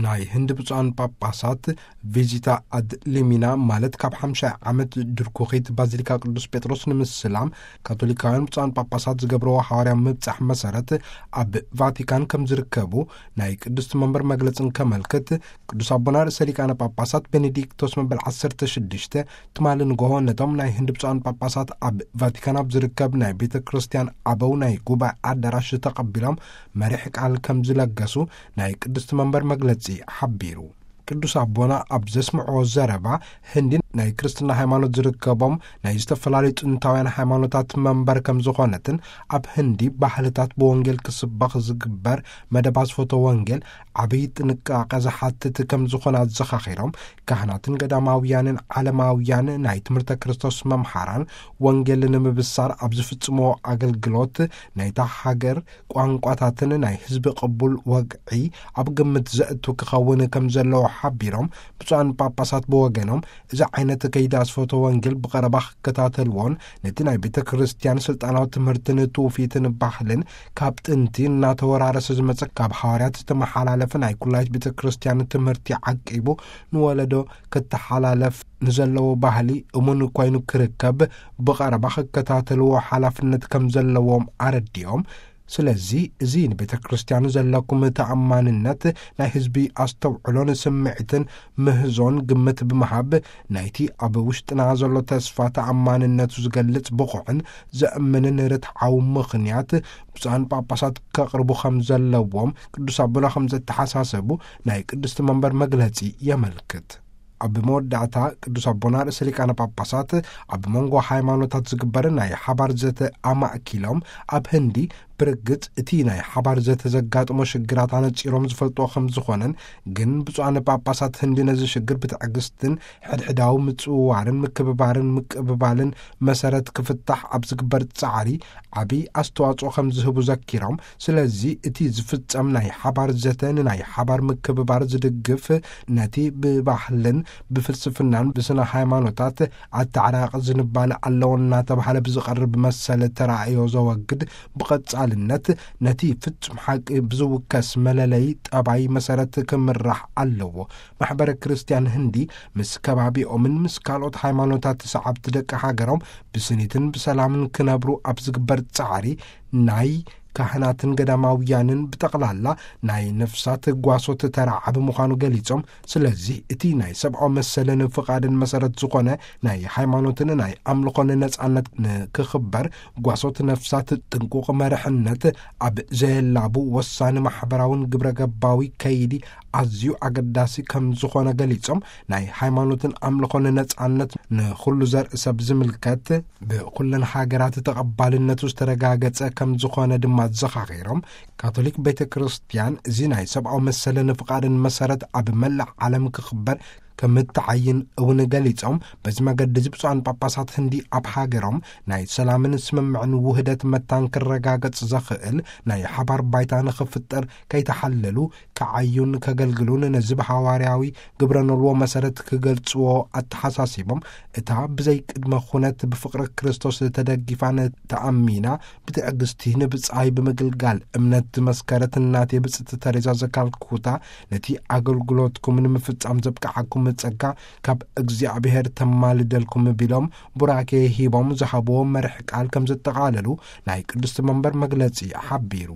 ናይ ህንዲ ብፁዓን ጳጳሳት ቪዚታ ኣድ ሊሚና፣ ማለት ካብ ሓምሻይ ዓመት ድርኩኺት ባዚሊካ ቅዱስ ጴጥሮስ ንምስላም ካቶሊካውያን ብፁዓን ጳጳሳት ዝገብርዎ ሓዋርያ ምብጻሕ መሰረት ኣብ ቫቲካን ከም ዝርከቡ ናይ ቅድስቲ መንበር መግለጽ እንከመልክት፣ ቅዱስ ኣቦና ርእሰ ሊቃነ ጳጳሳት ቤኔዲክቶስ መበል ዓሰርተ ሽዱሽተ ትማሊ ንግሆ ነቶም ናይ ህንዲ ብፁዓን ጳጳሳት ኣብ ቫቲካን ኣብ ዝርከብ ናይ ቤተ ክርስቲያን ኣበው ናይ ጉባኤ ኣዳራሽ ተቐቢሎም መሪሕ ቃል ከም ዝለገሱ ናይ ቅድስቲ መንበር መግለጺ ሓቢሩ። ቅዱስ ኣቦና ኣብ ዘስምዕዎ ዘረባ፣ ህንዲ ናይ ክርስትና ሃይማኖት ዝርከቦም ናይ ዝተፈላለዩ ጥንታውያን ሃይማኖታት መንበር ከም ዝኾነትን፣ ኣብ ህንዲ ባህልታት ብወንጌል ክስበኽ ዝግበር መደብ ኣስፈቶ ወንጌል ዓብዪ ጥንቃቐ ዝሓትት ከም ዝኾነ ኣዘኻኺሮም፣ ካህናትን ገዳማውያንን ዓለማውያን ናይ ትምህርተ ክርስቶስ መምሃራን ወንጌል ንምብሳር ኣብ ዝፍጽምዎ ኣገልግሎት ናይታ ሃገር ቋንቋታትን ናይ ህዝቢ ቅቡል ወግዒ ኣብ ግምት ዘእቱ ክኸውን ከም ዘለዎ ሓቢሮም፣ ብፁዓን ጳጳሳት ብወገኖም እዚ ዓይነት ከይዲ ኣስፈቶ ወንጌል ብቐረባ ክከታተልዎን ነቲ ናይ ቤተ ክርስቲያን ስልጣናዊ ትምህርትን ትውፊትን ባህልን ካብ ጥንቲ እናተወራረሰ ዝመጸ ካብ ሃዋርያት ዝተመሓላለፈ ናይ ኩላይት ቤተ ክርስቲያን ትምህርቲ ዓቂቡ ንወለዶ ክተሓላለፍ ንዘለዎ ባህሊ እሙን ኮይኑ ክርከብ ብቐረባ ክከታተልዎ ሓላፍነት ከም ዘለዎም ኣረዲኦም። ስለዚ እዚ ንቤተ ክርስቲያን ዘለኩም ተኣማንነት፣ ናይ ህዝቢ ኣስተውዕሎን ስምዒትን ምህዞን ግምት ብምሃብ፣ ናይቲ ኣብ ውሽጥና ዘሎ ተስፋ ተኣማንነቱ ዝገልጽ ብቑዕን ዘእምንን ርትዓዊ ምኽንያት ብፁዓን ጳጳሳት ከቕርቡ ከም ዘለዎም ቅዱስ ኣቦና ከም ዘተሓሳሰቡ ናይ ቅድስቲ መንበር መግለጺ የመልክት። ኣብ መወዳእታ ቅዱስ ኣቦና ርእሰ ሊቃነ ጳጳሳት ኣብ መንጎ ሃይማኖታት ዝግበር ናይ ሓባር ዘተ ኣማእኪሎም፣ ኣብ ህንዲ ብርግጽ እቲ ናይ ሓባር ዘተ ዘጋጥሞ ሽግራት ኣነጺሮም ዝፈልጥዎ ከም ዝኾነን፣ ግን ብፁዓን ጳጳሳት ህንዲ ነዚ ሽግር ብትዕግስትን ሕድሕዳዊ ምጽውዋርን ምክብባርን ምቅብባልን መሰረት ክፍታሕ ኣብ ዝግበር ጻዕሪ ዓቢ ኣስተዋጽኦ ከም ዝህቡ ዘኪሮም፣ ስለዚ እቲ ዝፍጸም ናይ ሓባር ዘተ ንናይ ሓባር ምክብባር ዝድግፍ፣ ነቲ ብባህልን ብፍልስፍናን ብስነ ሃይማኖታት ኣተዓራቂ ዝንባለ ኣለዎ እናተባህለ ብዝቐርብ መሰል ተራእዮ ዘወግድ፣ ብቐጻልነት ነቲ ፍጹም ሓቂ ብዝውከስ መለለይ ጠባይ መሰረት ክምራሕ ኣለዎ። ማሕበረ ክርስቲያን ህንዲ ምስ ከባቢኦምን ምስ ካልኦት ሃይማኖታት ሰዓብቲ ደቂ ሃገሮም ብስኒትን ብሰላምን ክነብሩ ኣብ ዝግበር ጻዕሪ ናይ ካህናትን ገዳማውያንን ብጠቕላላ ናይ ነፍሳት ጓሶት ተራ ዓቢ ምዃኑ ገሊጾም፣ ስለዚ እቲ ናይ ሰብኣዊ መሰልን ፍቓድን መሰረት ዝኾነ ናይ ሃይማኖትን ናይ ኣምልኾን ነጻነት ንክኽበር ጓሶት ነፍሳት ጥንቁቕ መርሕነት ኣብ ዘየላቡ ወሳኒ ማሕበራውን ግብረ ገባዊ ከይዲ ኣዝዩ ኣገዳሲ ከም ዝኾነ ገሊጾም፣ ናይ ሃይማኖትን ኣምልኾን ነጻነት ንኹሉ ዘርኢ ሰብ ዝምልከት ብኹለን ሃገራት ተቐባልነቱ ዝተረጋገጸ ከም ዝኾነ ድማ ዘኻኺሮም፣ ካቶሊክ ቤተ ክርስቲያን እዚ ናይ ሰብኣዊ መሰልን ፍቓድን መሰረት ኣብ መላእ ዓለም ክኽበር ከም እትዓይን እውን ገሊጾም፣ በዚ መገዲ እዚ ብፁዓን ጳጳሳት ህንዲ ኣብ ሃገሮም ናይ ሰላምን ስምምዕን ውህደት መታን ክረጋገጽ ዘኽእል ናይ ሓባር ባይታ ንኽፍጠር ከይተሓለሉ ክዓዩን ከገልግሉን ነዚ ብሃዋርያዊ ግብረ ኖልዎ መሰረት ክገልጽዎ ኣተሓሳሲቦም፣ እታ ብዘይ ቅድመ ኩነት ብፍቕሪ ክርስቶስ ተደጊፋን ተኣሚና ብትዕግስቲ ንብጻይ ብምግልጋል እምነት ዝመስከረት እናቴ ብጽቲ ተሬዛ ዘካልኩታ፣ ነቲ ኣገልግሎትኩም ንምፍጻም ዘብቅዓኩም ጸጋ ካብ እግዚኣብሔር ተማልደልኩም ቢሎም ቡራኬ ሂቦም ዝሃብዎ መርሕ ቃል ከም ዘጠቓለሉ ናይ ቅድስቲ መንበር መግለጺ ሓቢሩ።